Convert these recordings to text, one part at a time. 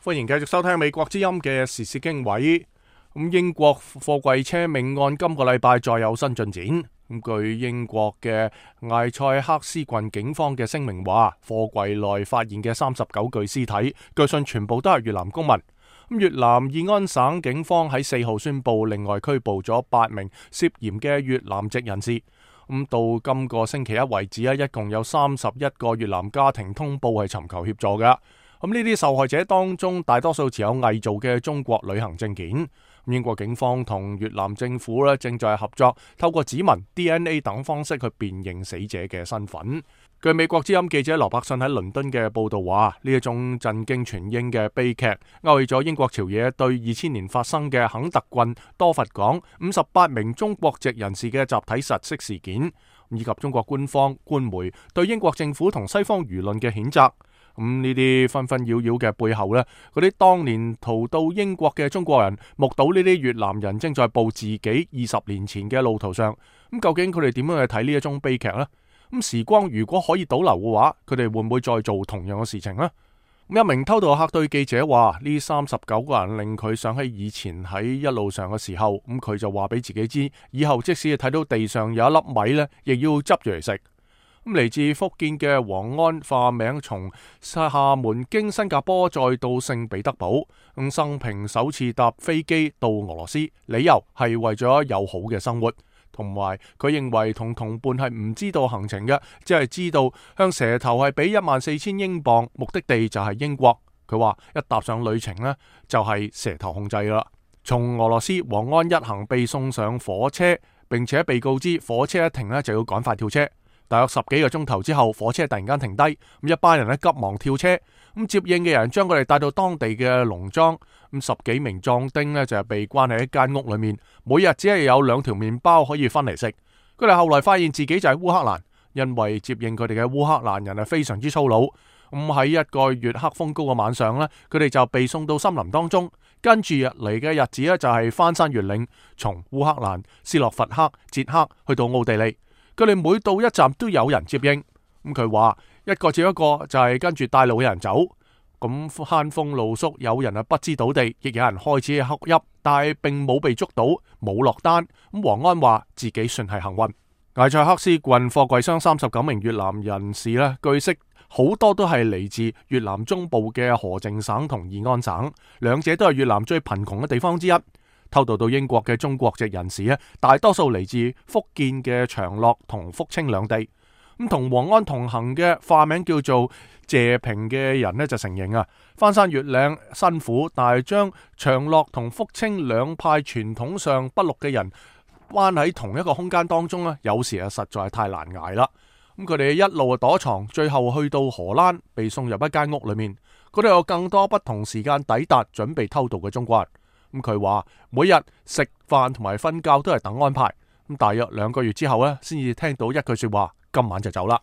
歡迎繼續收聽美國之音嘅時事經緯。英國貨櫃車命案今個禮拜再有新進展。據英國嘅艾塞克斯郡警方嘅聲明話，貨櫃內發現嘅39具屍體，據信全部都係越南公民。越南義安省警方喺4號宣布，另外拘捕咗8名涉嫌嘅越南籍人士。到今個星期一為止一共有31個越南家庭通報係尋求協助嘅。呢啲受害者當中，大多數持有偽造嘅中國旅行證件。英國警方同越南政府正在合作，透過指紋、DNA 等方式去辨認死者嘅身份。據美國之音記者羅伯遜喺倫敦嘅報道話，呢一種震驚全英嘅悲劇，勾起咗英國朝野對2000年發生嘅肯特郡多佛港58名中國籍人士嘅集體窒息事件，以及中國官方官媒對英國政府同西方輿論嘅譴責。呢啲紛紛擾擾嘅背後呢，嗰啲當年逃到英國嘅中國人目睹呢啲越南人正在步自己20年前嘅路途上，究竟佢哋點樣去睇呢一宗悲劇呢？時光如果可以倒流嘅話，佢哋會唔會再做同樣嘅事情呢？一名偷渡客對記者話：呢39個人令佢想起以前喺一路上嘅時候，佢就話俾自己知，以後即使睇到地上有一粒米呢，亦要執住嚟食。嚟自福建嘅黃安化名從廈門經新加坡再到聖彼得堡，生平首次搭飛機到俄羅斯，理由係為咗有好嘅生活，同埋佢認為同同伴係唔知道行程嘅，只係知道向蛇頭係俾14,000英鎊，目的地就係英國。佢話一踏上旅程呢，就係蛇頭控制啦。從俄羅斯，黃安一行被送上火車，並且被告知火車一停呢，就要趕快跳車。大約10幾個鐘頭之後，火車突然間停低，一班人急忙跳車，接應嘅人將佢哋帶到當地嘅農莊，10幾名壯丁呢就係被關喺一間屋裏面，每日只係有2條麵包可以分嚟食。佢哋後來發現自己就喺烏克蘭，因為接應佢哋嘅烏克蘭人係非常之粗魯。喺一個月黑風高嘅晚上呢，佢哋就被送到森林當中，跟住嚟嘅日子呢，就係翻山越嶺，從烏克蘭、斯洛伐克、捷克去到奧地利。佢哋每到一站都有人接應，佢話一個接一個就係跟住帶路嘅人走，咁慳風露宿，有人不知倒地，亦有人開始瞌泣，但係並冇被捉到，冇落單。黃安話自己算係幸運。艾塞克斯郡貨櫃箱39名越南人士呢，據悉好多都係嚟自越南中部嘅河靜省同義安省，兩者都係越南最貧窮嘅地方之一。偷渡到英國嘅中國籍人士咧，大多數嚟自福建嘅長樂同福清兩地。同黃安同行嘅化名叫做謝平嘅人呢，就承認翻山越嶺辛苦，但係將長樂同福清兩派傳統上不綠嘅人關喺同一個空間當中咧，有時實在係太難捱啦。佢哋一路躲藏，最後去到荷蘭，被送入一間屋裏面。嗰度有更多不同時間抵達準備偷渡嘅中國人。佢話每日食飯同埋瞓覺都係等安排。大約2個月之後呢，先至聽到一句說話：今晚就走啦。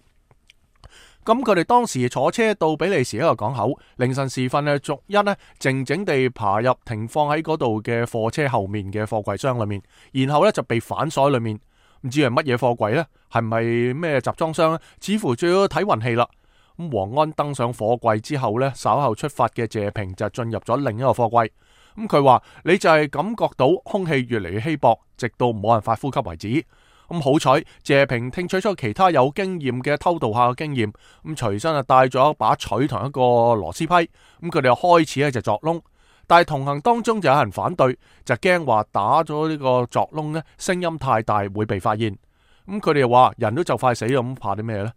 佢哋當時坐車到比利時一個港口，凌晨時分呢，逐一呢靜靜地爬入停放喺嗰度嘅貨車後面嘅貨櫃箱裏面，然後呢就被反鎖裏面。唔知係乜嘢貨櫃呢？係咪咩集裝箱呢？似乎最要睇運氣啦。黃安登上貨櫃之後呢，稍後出發嘅謝平就進入咗另一個貨櫃。佢話你就係感覺到空氣越嚟越稀薄，直到冇辦法呼吸為止。好彩謝平聽取咗其他有經驗嘅偷渡客嘅經驗，隨身帶咗一把錘同一個螺絲批。佢哋就開始就鑿窿，但係同行當中就有人反對，就驚話打咗呢個鑿窿呢，聲音太大會被發現。佢哋話人都就快死咁，怕啲咩呢？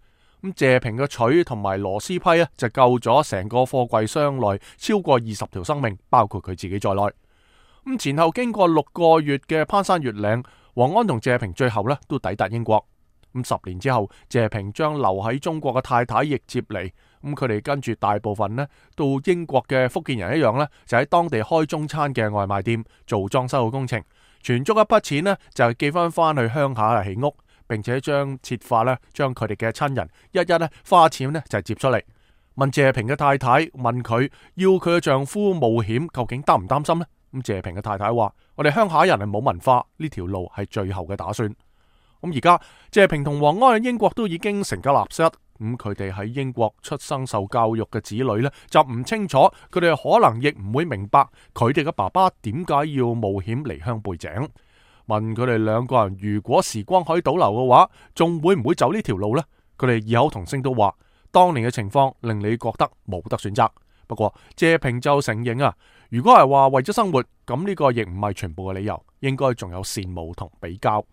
謝平嘅錘同埋螺絲批呢，就救咗成個貨櫃箱內超過20條生命，包括佢自己在內。前後經過6個月嘅攀山越嶺，黃安同謝平最後呢都抵達英國。10年之後，謝平將留喺中國嘅太太亦接嚟。佢哋跟住大部分呢到英國嘅福建人一樣呢，就喺當地開中餐嘅外賣店做裝修嘅工程，存足一筆錢呢，就寄翻去鄉下起屋。並且將設法將佢哋嘅親人一一花錢就接出嚟。問謝平嘅太太，問佢要佢嘅丈夫冒險，究竟擔唔擔心呢？謝平嘅太太話：我哋鄉下人係冇文化，呢條路係最後嘅打算。而家謝平同黃安喺英國都已經成家立室，佢哋喺英國出生受教育嘅子女呢，就唔清楚，佢哋可能亦唔會明白佢哋嘅爸爸點解要冒險離鄉背井。問佢哋兩個人如果時光可以倒流嘅話，仲會唔會走呢條路呢？佢哋異口同聲都話，當年嘅情況令你覺得冇得選擇。不過謝平就承認啊，如果係話為咗生活，咁呢個亦唔係全部嘅理由，應該仲有羨慕同比較。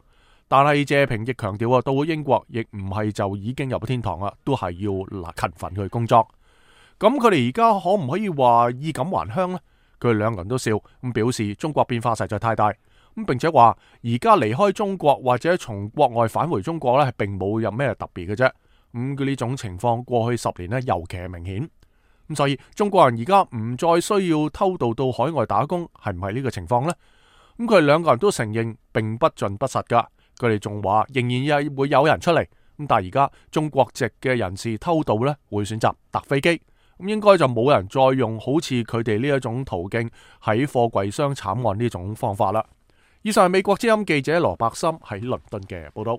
但係謝平亦強調啊，到咗英國亦唔係就已經入咗天堂啦，都係要勤奮去工作。咁佢哋而家可唔可以話衣錦還鄉呢？佢哋兩個人都笑咁表示，中國變化實在太大咁，並且話而家離開中國或者從國外返回中國呢，係並冇有咩特別嘅啫。佢呢種情況過去10年呢，尤其係明顯。咁所以中國人而家唔再需要偷渡到海外打工，係唔係呢個情況呢？咁佢哋兩個人都承認並不盡不實噶。佢哋仲話仍然會有人出嚟，咁但係而家中國籍嘅人士偷渡呢，會選擇搭飛機，咁應該就冇人再用好似佢哋呢一種途徑喺貨櫃箱慘案呢種方法啦。以上係美國之音記者羅伯森喺倫敦嘅報道。